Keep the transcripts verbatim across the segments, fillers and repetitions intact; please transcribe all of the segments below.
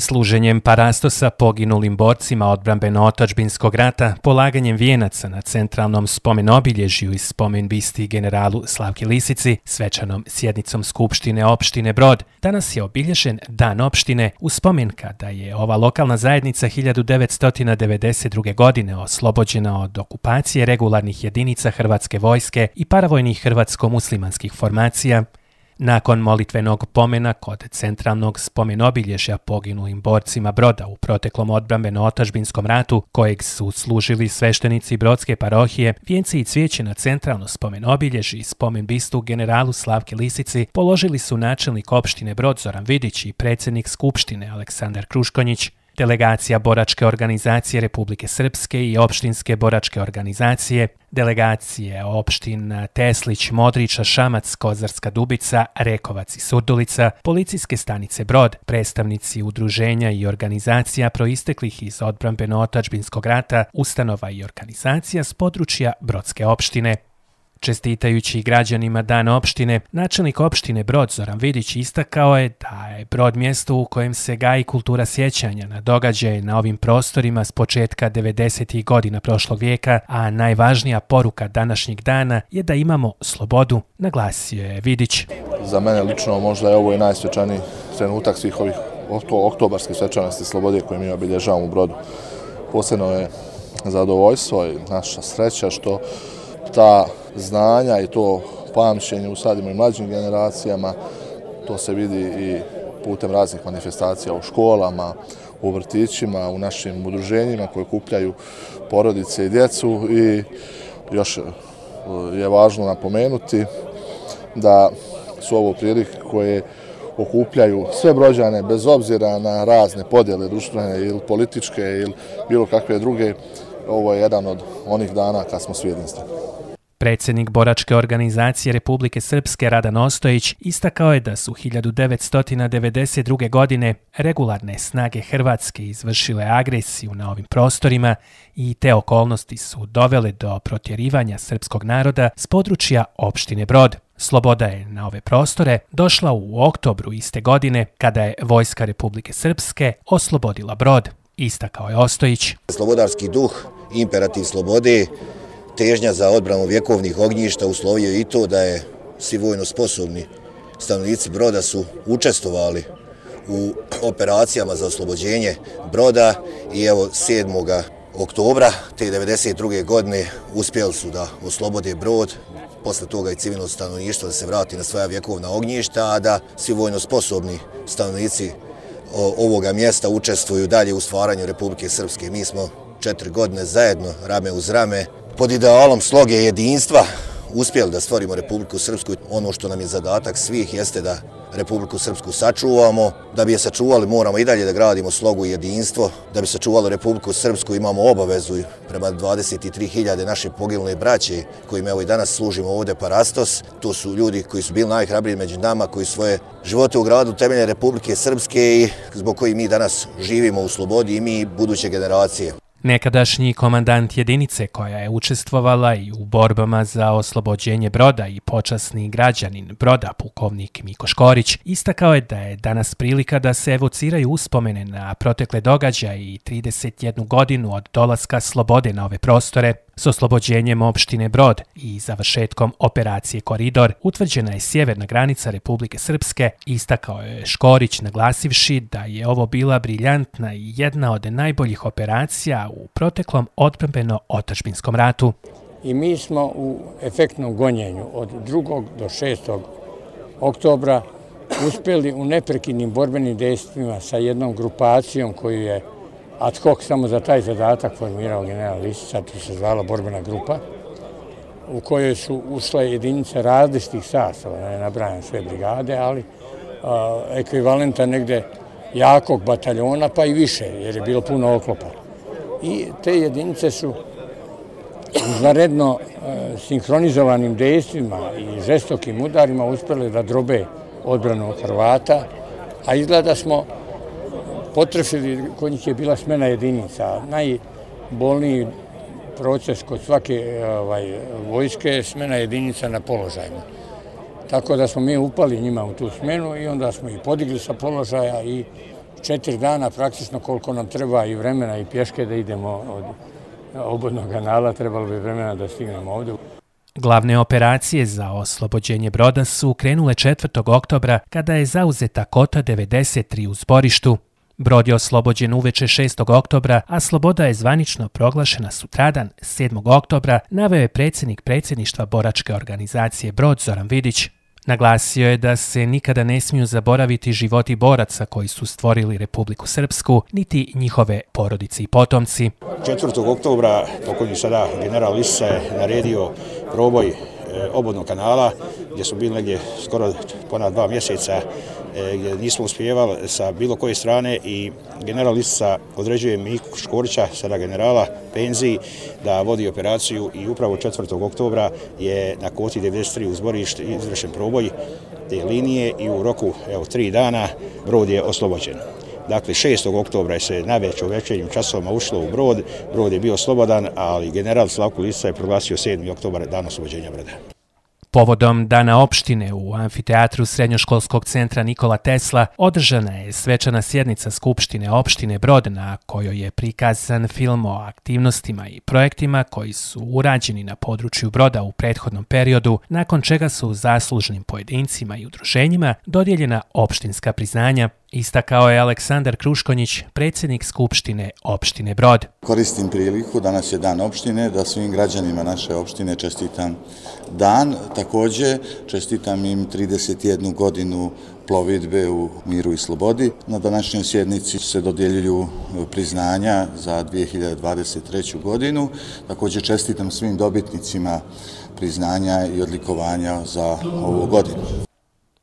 Služenjem parastosa poginulim borcima odbrambeno-otadžbinskog rata, polaganjem vijenaca na centralnom spomen-obilježju i spomen-bisti generalu Slavki Lisici, svečanom sjednicom Skupštine opštine Brod, danas je obilježen Dan opštine u spomen kada je ova lokalna zajednica hiljadu devetsto devedeset druge. godine oslobođena od okupacije regularnih jedinica Hrvatske vojske i paravojnih hrvatsko-muslimanskih formacija. Nakon molitvenog pomena kod centralnog spomen-obilježja poginulim borcima Broda u proteklom odbrambeno-otadžbinskom ratu, kojeg su služili sveštenici Brodske parohije, vijenci i cvijeće na centralno spomen-obilježje i spomen-bistu generalu Slavki Lisici položili su načelnik opštine Brod Zoran Vidić i predsjednik Skupštine Aleksandar Kruškonjić. Delegacija Boračke organizacije Republike Srpske i opštinske boračke organizacije, delegacije opština Teslić, Modriča, Šamac, Kozarska Dubica, Rekovac i Surdulica, policijske stanice Brod, predstavnici udruženja i organizacija proisteklih iz odbrambeno-otadžbinskog rata, ustanova i organizacija s područja Brodske opštine. Čestitajući građanima Dan opštine, načelnik opštine Brod Zoran Vidić istakao je da je Brod mjesto u kojem se gaji kultura sjećanja na događaje na ovim prostorima s početka devedesetih godina prošlog vijeka, a najvažnija poruka današnjeg dana je da imamo slobodu, naglasio je Vidić. Za mene lično možda je ovo i najsvečaniji trenutak svih ovih oktobarskih svečanosti slobode koje mi obilježavamo u Brodu. Posebno je zadovoljstvo i naša sreća što ta znanja i to pamćenje usadimo i mlađim generacijama, to se vidi i putem raznih manifestacija u školama, u vrtićima, u našim udruženjima koje okupljaju porodice i djecu i još je važno napomenuti da su ovo prilike koje okupljaju sve Brođane bez obzira na razne podjele društvene ili političke ili bilo kakve druge. Ovo je jedan od onih dana kad smo svi jedinstveni. Predsjednik Boračke organizacije Republike Srpske Radan Ostojić istakao je da su hiljadu devetsto devedeset druge. godine regularne snage Hrvatske izvršile agresiju na ovim prostorima i te okolnosti su dovele do protjerivanja srpskog naroda s područja opštine Brod. Sloboda je na ove prostore došla u oktobru iste godine kada je Vojska Republike Srpske oslobodila Brod, istakao je Ostojić. Slobodarski duh, imperativ slobode, težnja za odbranu vjekovnih ognjišta uslovio je i to da je svi vojno sposobni stanovnici Broda su učestvovali u operacijama za oslobođenje Broda i evo sedmog oktobra te devedeset druge. godine uspjeli su da oslobode Brod, posle toga i civilno stanovništvo da se vrati na svoja vjekovna ognjišta, a da svi vojno sposobni stanovnici ovoga mjesta učestvuju dalje u stvaranju Republike Srpske. Mi smo četiri godine zajedno, rame uz rame, pod idealom sloge jedinstva uspjeli da stvorimo Republiku Srpsku. Ono što nam je zadatak svih jeste da Republiku Srpsku sačuvamo. Da bi je sačuvali moramo i dalje da gradimo slogu i jedinstvo. Da bi sačuvali Republiku Srpsku imamo obavezu prema dvadeset tri hiljade naše poginule braće kojim evo i danas služimo ovdje parastos. To su ljudi koji su bili najhrabriji među nama, koji svoje živote u gradu temelje Republike Srpske i zbog kojih mi danas živimo u slobodi i mi buduće generacije. Nekadašnji komandant jedinice koja je učestvovala i u borbama za oslobođenje Broda i počasni građanin Broda, pukovnik Miko Škorić, istakao je da je danas prilika da se evociraju uspomene na protekle događaje i trideset jednu godinu od dolaska slobode na ove prostore. S oslobođenjem opštine Brod i završetkom operacije Koridor utvrđena je sjeverna granica Republike Srpske, istakao je Škorić naglasivši da je ovo bila briljantna i jedna od najboljih operacija u proteklom odbrambeno-otadžbinskom ratu. I mi smo u efektnom gonjenju od drugog do šestog oktobra uspjeli u neprekidnim borbenim dejstvima sa jednom grupacijom koju je ad hoc samo za taj zadatak formirao general Lisica, to se zvala borbena grupa, u kojoj su ušle jedinice različitih sastava, ne nabrajam sve brigade, ali a, ekvivalenta negde jakog bataljona, pa i više, jer je bilo puno oklopa. I te jedinice su izvanredno sinhronizovanim dejstvima i žestokim udarima uspjeli da drobe odbranu od Hrvata, a izgleda smo potrefili, kod njih je bila smena jedinica. Najbolniji proces kod svake ovaj, vojske je smena jedinica na položajima. Tako da smo mi upali njima u tu smenu i onda smo ih podigli sa položaja i četiri dana praktično koliko nam treba i vremena i pješke da idemo od obodnog kanala, trebalo bi vremena da stignemo ovdje. Glavne operacije za oslobođenje broda su krenule četvrtog oktobra kada je zauzeta kota devedeset tri u zborištu. Brod je oslobođen uveče šestog oktobra, a sloboda je zvanično proglašena sutradan sedmog oktobra, naveo je predsjednik predsjedništva boračke organizacije Brod Zoran Vidić. Naglasio je da se nikada ne smiju zaboraviti životi boraca koji su stvorili Republiku Srpsku, niti njihove porodice i potomci. četvrtog oktobra pokojni sada general Lisica je naredio proboj obodnog kanala gdje su bili negdje skoro ponad dva mjeseca gdje nismo uspjevali sa bilo koje strane i general Lisica određuje Miku Škorića, sada generala penziji, da vodi operaciju i upravo četvrtog oktobra je na koti devedeset tri u zborištu izvršen proboj te linije i u roku evo, tri dana brod je oslobođen. Dakle, šestog oktobra je se navečer u večernjim časovima ušlo u brod, brod je bio slobodan, ali general Slavko Lisica je proglasio sedmi oktobar dan oslobođenja broda. Povodom Dana opštine u amfiteatru Srednjoškolskog centra Nikola Tesla održana je svečana sjednica Skupštine opštine Brod na kojoj je prikazan film o aktivnostima i projektima koji su urađeni na području Broda u prethodnom periodu, nakon čega su zaslužnim pojedincima i udruženjima dodijeljena opštinska priznanja, istakao je Aleksandar Kruškonjić, predsjednik Skupštine opštine Brod. Koristim priliku, danas je dan opštine, da svim građanima naše opštine čestitam dan. Također čestitam im trideset jednu godinu plovidbe u miru i slobodi. Na današnjoj sjednici se dodjeljuju priznanja za dvije hiljade dvadeset treću godinu. Također čestitam svim dobitnicima priznanja i odlikovanja za ovu godinu.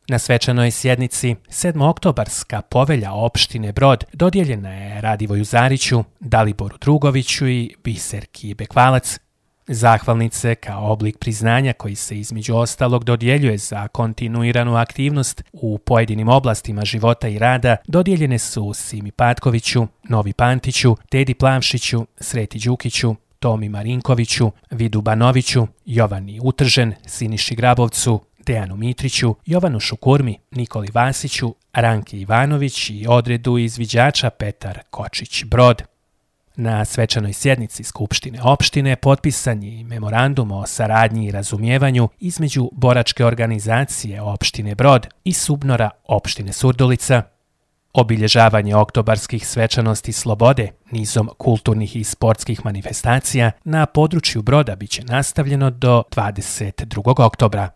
Na svečanoj sjednici sedmooktobarska povelja opštine Brod dodijeljena je Radivoju Zariću, Daliboru Drugoviću i Biserki Bekvalac. Zahvalnice kao oblik priznanja koji se između ostalog dodjeljuje za kontinuiranu aktivnost u pojedinim oblastima života i rada dodijeljene su Simi Patkoviću, Novi Pantiću, Tedi Plavšiću, Sreti Đukiću, Tomi Marinkoviću, Vidu Banoviću, Jovani Utržen, Siniši Grabovcu, Dejanu Mitriću, Jovanu Šukurmi, Nikoli Vasiću, Ranki Ivanović i odredu izviđača Petar Kočić Brod. Na svečanoj sjednici Skupštine opštine potpisan je memorandum o saradnji i razumijevanju između boračke organizacije opštine Brod i Subnora opštine Surdulica. Obilježavanje oktobarskih svečanosti slobode nizom kulturnih i sportskih manifestacija na području Broda biće nastavljeno do dvadeset drugog oktobra.